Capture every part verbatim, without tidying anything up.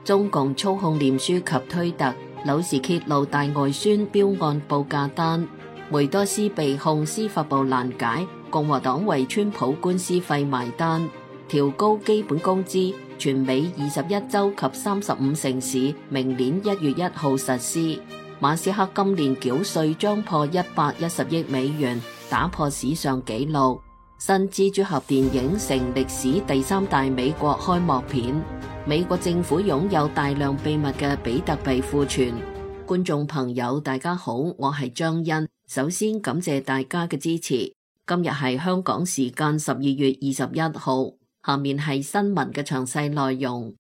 中共操控臉書及推特，柳時揭露大外宣標案報價單。梅多斯被控司法部攔解，共和黨為川普官司費埋單。調高基本工資，全美二十一州及三十五城市明年一月一號實施。馬斯克今年繳稅將破一百一十億美元，打破史上紀錄。新蜘蛛俠電影成歷史第三大美國開幕片。美國政府擁有大量秘密嘅比特幣庫存。觀眾朋友大家好，我係張欣，首先感謝大家嘅支持。今日係香港時間十二月二十一號，下面係新聞嘅詳細內容。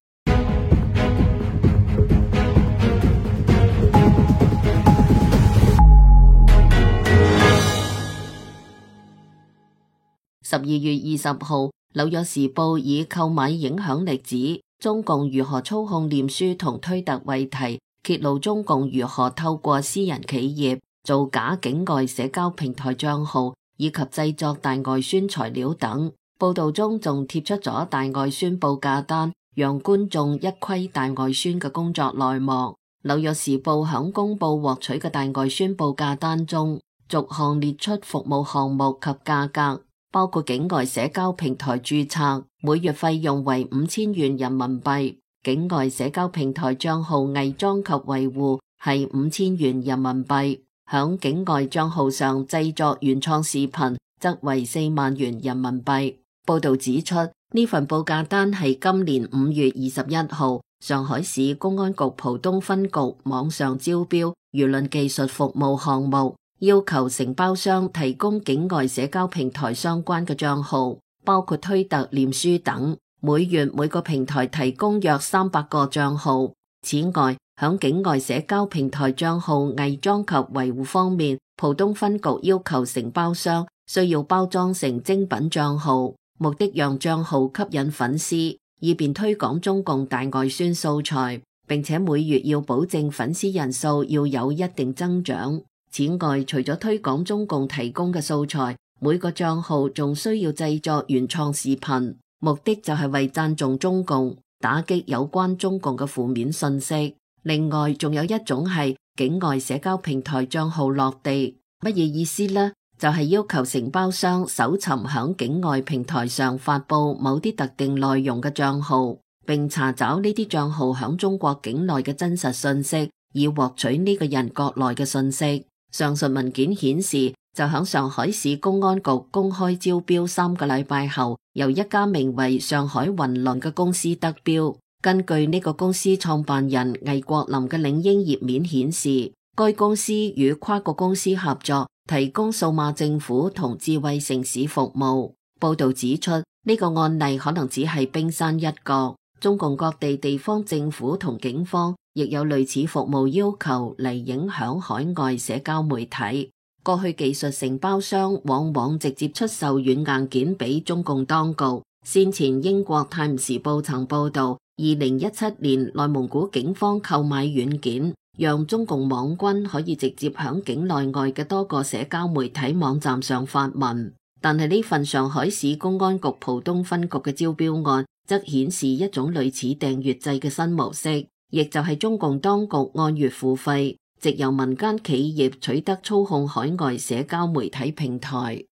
十二月二十號，紐約時報以購買影響力指中共如何操控臉書同推特為題，揭露中共如何透過私人企業造假境外社交平台賬號以及製作大外宣材料等。報道中仲貼出咗大外宣報價單，讓觀眾一窺大外宣嘅工作內幕。紐約時報響公布獲取嘅大外宣報價單中，逐項列出服務項目及價格，包括境外社交平台註冊，每月費用為五千元人民幣；境外社交平台賬號偽裝及維護係五千元人民幣；響境外賬號上製作原創視頻則為四萬元人民幣。報道指出，呢份報價單係今年五月二十一號上海市公安局浦東分局網上招標輿論技術服務項目，要求承包商提供境外社交平台相關嘅賬號，包括推特、臉書等，每月每個平台提供約三百個賬號。此外，響境外社交平台賬號偽裝及維護方面，浦東分局要求承包商需要包裝成精品賬號，目的讓賬號吸引粉絲，以便推廣中共大外宣素材，並且每月要保證粉絲人數要有一定增長。此外，除咗推廣中共提供嘅素材，每個賬號仲需要製作原創視頻，目的就係為讚頌中共，打擊有關中共嘅負面信息。另外，仲有一種係境外社交平台賬號落地，乜嘢意思呢？就係要求承包商搜尋響境外平台上發佈某啲特定內容嘅賬號，並查找呢啲賬號響中國境內嘅真實信息，以獲取呢個人國內嘅信息。上述文件顯示，就響上海市公安局公開招標三個禮拜後，由一家名為上海雲輪嘅公司得標。根據呢個公司創辦人魏國林嘅領英頁面顯示，該公司與跨國公司合作，提供數碼政府同智慧城市服務。報道指出，呢個案例可能只係冰山一角，中共各地地方政府同警方亦有類似服務要求嚟影響海外社交媒體。過去技術承包商往往直接出售軟硬件俾中共當局。先前英國泰晤士報曾報道，二零一七年內蒙古警方購買軟件，讓中共網軍可以直接響境內外嘅多個社交媒體網站上發文。但係呢份上海市公安局浦東分局嘅招標案則顯示一種類似訂閱制嘅新模式，亦就係中共當局按月付費，藉由民間企業取得操控海外社交媒體平台。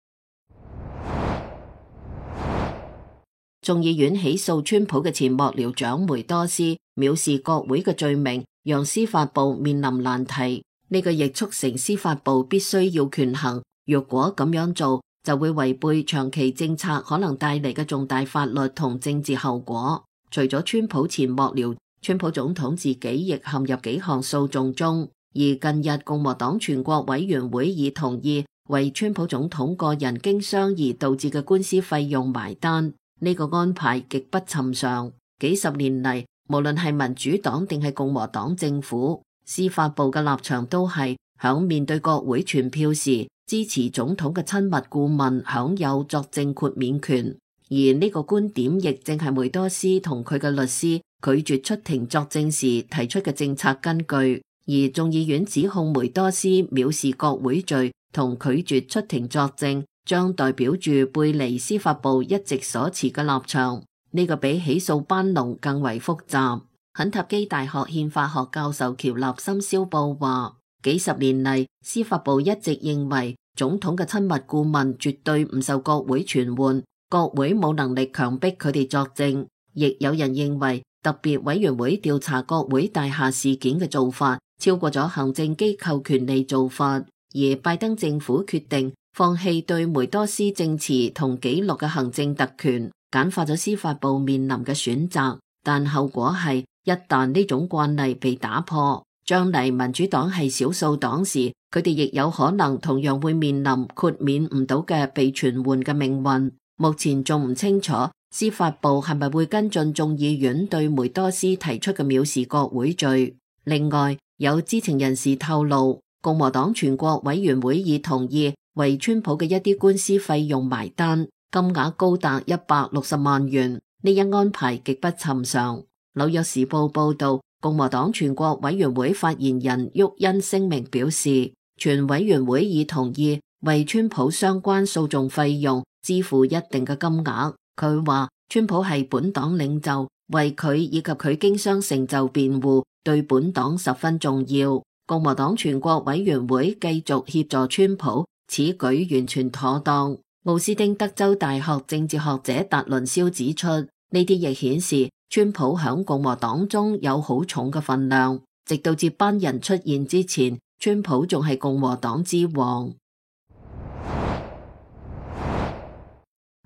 眾議院起訴川普嘅前幕僚長梅多斯藐視國會嘅罪名，讓司法部面臨難題。呢個亦促成司法部必須要權衡，若果咁樣做，就會違背長期政策可能帶嚟嘅重大法律同政治後果。除咗川普前幕僚，川普總統自己亦陷入幾項訴訟中。而近日共和黨全國委員會已同意為川普總統個人經商而導致嘅官司費用埋單。呢個安排極不尋常。幾十年嚟，無論係民主黨定係共和黨政府，司法部嘅立場都係響面對國會全票時，支持總統嘅親密顧問享有作證豁免權。而呢個觀點亦正係梅多斯同佢嘅律師拒絕出庭作證時提出嘅政策根據。而眾議院指控梅多斯藐視國會罪同拒絕出庭作證，將代表住背離司法部一直所持嘅立場。呢個比起訴班農更為複雜。肯塔基大學憲法學教授喬納森肖布話，幾十年嚟，司法部一直認為總統嘅親密顧問絕對唔受國會傳喚，國會冇能力強迫佢哋作證。亦有人認為特別委員會調查國會大廈事件嘅做法超過咗行政機構權力做法，而拜登政府決定放棄對梅多斯證詞同記錄嘅行政特權，簡化咗司法部面臨嘅選擇。但後果係，一旦呢種慣例被打破，將嚟民主黨係少數黨時，佢哋亦有可能同樣會面臨豁免唔到嘅被傳喚嘅命運。目前仲唔清楚司法部係咪會跟進眾議院對梅多斯提出嘅藐視國會罪。另外，有知情人士透露，共和黨全國委員會已同意為川普嘅一啲官司費用埋單，金額高達一百六十萬元。呢一安排極不尋常。紐約時報報道，共和黨全國委員會發言人沃恩聲明表示，全委員會已同意為川普相關訴訟費用支付一定嘅金額。佢話川普係本黨領袖，為佢以及佢經商成就辯護對本黨十分重要。共和黨全國委員會繼續協助川普，此舉完全妥當。奧斯汀德州大學政治學者達倫肖指出，呢啲亦顯示川普響共和黨中有好重嘅分量，直到接班人出現之前，川普仲係共和黨之王。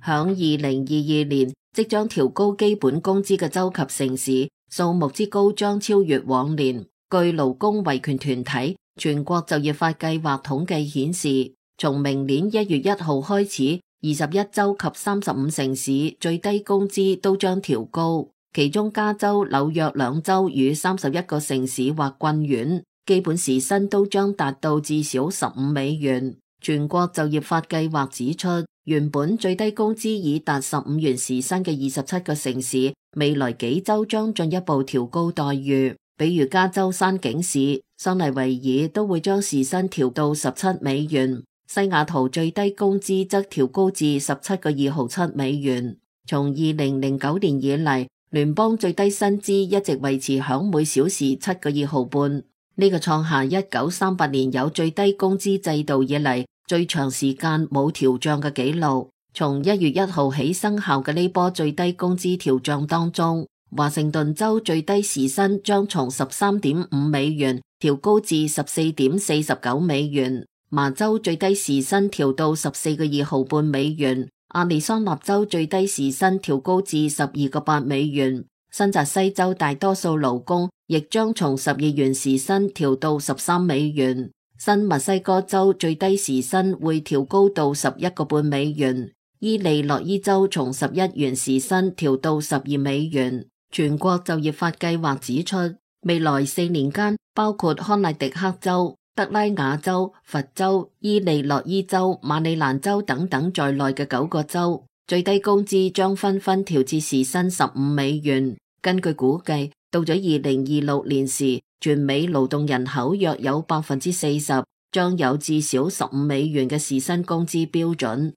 響二零二二年即將調高基本工資嘅州及城市數目之高將超越往年。據勞工維權團體全國就業法計劃統計顯示，從明年一月一號開始，二十一州及三十五城市最低工資都將調高，其中加州、紐約兩州與三十一個城市或郡縣基本時薪都將達到至少十五美元。全國就業法計劃指出，原本最低工資已達十五元時薪嘅二十七個城市，未來幾週將進一步調高待遇。比如加州山景市、桑尼維爾都會將時薪調到十七美元，西雅圖最低工資則調高至十七個二毫七美元。從二零零九年以嚟，聯邦最低薪資一直維持響每小時七個二毫半，呢個創下一九三八年有最低工資制度以嚟最長時間冇調漲嘅紀錄。從一月一號起生效嘅呢波最低工資調漲當中，華盛頓州最低時薪將從十三點五美元調高至十四點四十九美元，麻州最低時薪調到十四個二毫半美元，亞利桑那州最低時薪調高至十二個八美元，新澤西州大多數勞工亦將從十二元時薪調到十三美元，新墨西哥州最低時薪會調高到十一個半美元，伊利諾伊州從十一元時薪調到十二美元。全國就業法計劃指出，未來四年間，包括康乃狄克州、德拉瓦州、佛州、伊利諾伊州、馬里蘭州等等在內嘅九個州，最低工資將紛紛調至時薪十五美元。根據估計，到咗二零二六年時，全美勞動人口約有百分之四十將有至少十五美元嘅時薪工資標準。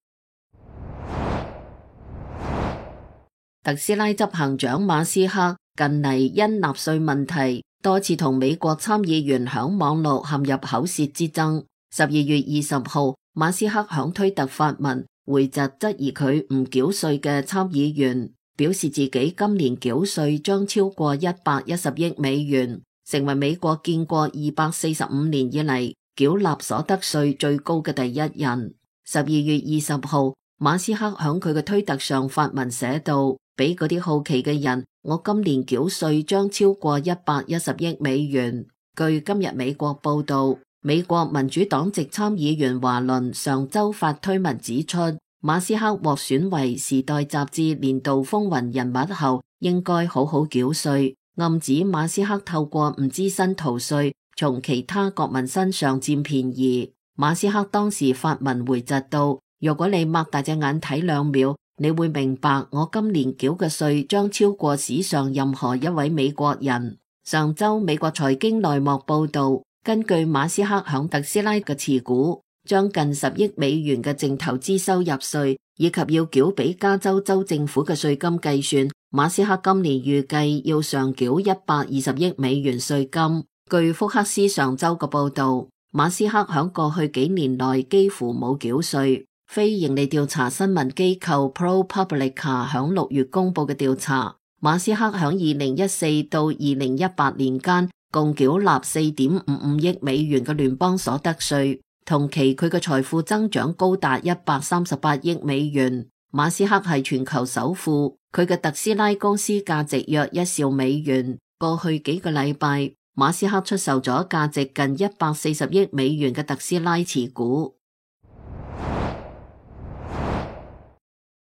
特斯拉執行長馬斯克近嚟因納稅問題多次同美國參議員響網絡陷入口舌之爭。十二月二十號，馬斯克響推特發文回責質疑佢唔繳稅嘅參議員，表示自己今年繳稅將超過一百一十億美元，成為美國建國二百四十五年以嚟繳納所得稅最高嘅第一人。十二月二十號，馬斯克響佢嘅推特上發文寫道，俾嗰啲好奇嘅人，我今年繳稅將超過一百一十億美元。據今日美國報道，美國民主黨籍參議員華倫上周發推文指出，馬斯克獲選為時代雜誌年度風雲人物後，應該好好繳稅，暗指馬斯克透過唔知薪逃稅，從其他國民身上佔便宜。馬斯克當時發文回窒道，如果你擘大隻眼睇兩秒，你會明白我今年繳嘅稅將超過史上任何一位美國人。上周美國財經內幕報道，根據馬斯克響特斯拉嘅持股，將近十億美元嘅淨投資收入稅以及要繳俾加州州政府嘅稅金計算，馬斯克今年預計要上繳一百二十億美元稅金。據福克斯上週嘅報導，馬斯克響過去幾年內幾乎冇繳稅。非營利調查新聞機構 ProPublica 響六月公布嘅調查，馬斯克響二零一四到二零一八年間共繳納四點五五億美元嘅聯邦所得稅，同期佢嘅財富增長高達一百三十八億美元。馬斯克係全球首富，佢嘅特斯拉公司價值約一兆美元。過去幾個禮拜，馬斯克出售咗價值近一百四十億美元嘅特斯拉持股。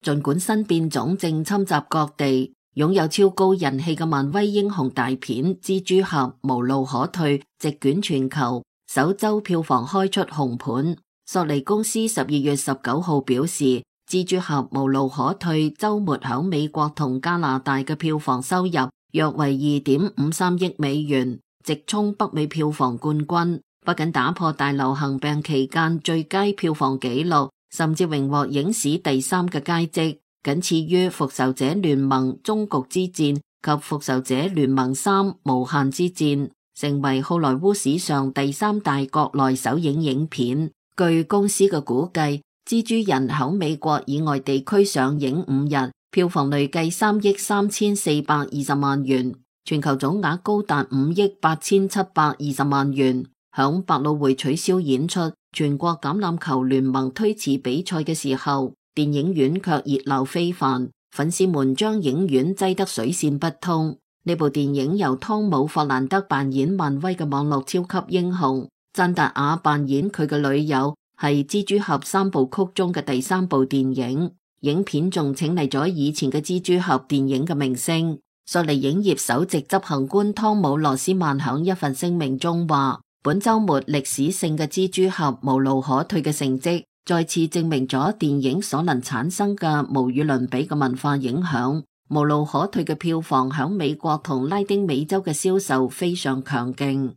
儘管新變種正侵襲各地，擁有超高人氣嘅漫威英雄大片《蜘蛛俠無路可退》席捲全球，首週票房開出紅盤。索尼公司十二月十九號表示，蜘蛛俠無路可退週末響美國同加拿大嘅票房收入約為二點五三億美元，直衝北美票房冠軍，不僅打破大流行病期間最佳票房紀錄，甚至榮獲影史第三嘅佳績，僅次於復仇者聯盟終局之戰及復仇者聯盟三無限之戰，成為好萊塢史上第三大國內首映影片。據公司嘅估計，蜘蛛人響美國以外地區上映五日，票房累計三億三千四百二十萬元，全球總額高達五億八千七百二十萬元。響百老匯取消演出全國橄欖球聯盟推遲比賽嘅時候，電影院卻熱鬧非凡，粉絲們將影院擠得水泄不通。呢部電影由湯姆·霍蘭德扮演漫威嘅網絡超級英雄，贊達亞扮演佢嘅女友，係蜘蛛俠三部曲中嘅第三部電影。影片仲請嚟咗以前嘅蜘蛛俠電影嘅明星。索尼影業首席執行官湯姆·羅斯曼響一份聲明中話，本週末歷史性嘅蜘蛛俠無路可退嘅成績，再次證明咗電影所能產生嘅無與倫比嘅文化影響。無路可退嘅票房響美國同拉丁美洲嘅銷售非常強勁。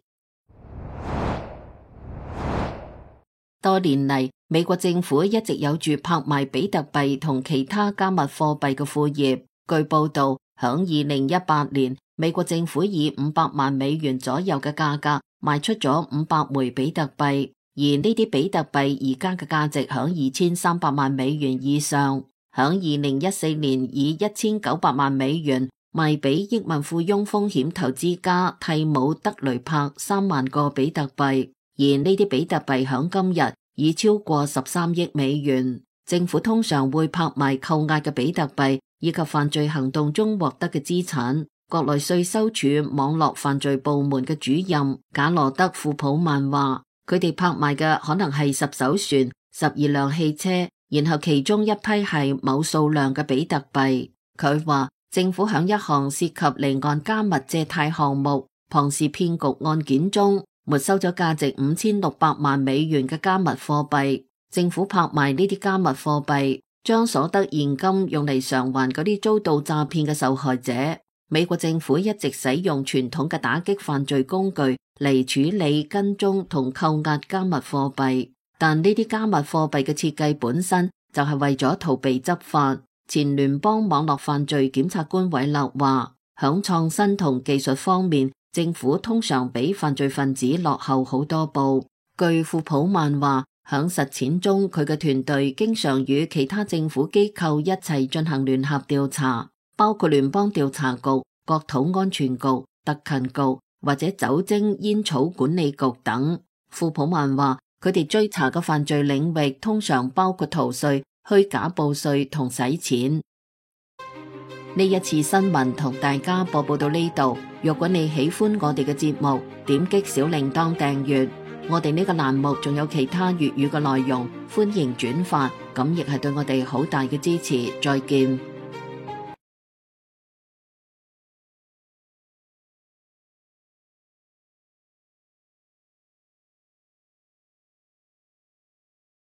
多年嚟，美國政府一直有住拍賣比特幣同其他加密貨幣嘅副業。據報道，響二零一八年，美國政府以五百萬美元左右嘅價格賣出咗五百枚比特幣，而呢啲比特幣而家嘅價值響二千三百萬美元以上。響二零一四年以一千九百萬美元賣俾億萬富翁風險投資家蒂姆·德雷柏三萬個比特幣。而呢啲比特幣響今日已超過十三億美元。政府通常會拍賣扣押嘅比特幣以及犯罪行動中獲得嘅資產。國內稅收處網絡犯罪部門嘅主任賈羅德·庫普曼話，佢哋拍賣嘅可能係十艘船、十二輛汽車，然後其中一批係某數量嘅比特幣。佢話政府響一項涉及離岸加密借貸項目龐氏騙局案件中沒收咗價值五千六百萬美元嘅加密貨幣。政府拍賣呢啲加密貨幣，將所得現金用嚟償還嗰啲遭到詐騙嘅受害者。美國政府一直使用傳統嘅打擊犯罪工具嚟處理跟蹤同扣押加密貨幣，但呢啲加密貨幣嘅設計本身就係為咗逃避執法。前聯邦網絡犯罪檢察官韋勒話，響創新同技術方面，政府通常比犯罪分子落後好多步。據庫普曼話，響實踐中，佢嘅團隊經常與其他政府機構一齊進行聯合調查，包括聯邦調查局、國土安全局、特勤局或者酒精煙草管理局等。庫普曼話，佢哋追查嘅犯罪領域通常包括逃稅、虛假報稅同洗錢。呢一次新聞同大家播報到呢度。若果你喜歡我哋嘅節目，點擊小鈴鐺訂閱。我哋呢個欄目仲有其他粵語嘅內容，歡迎轉發，咁亦係對我哋好大嘅支持。再見。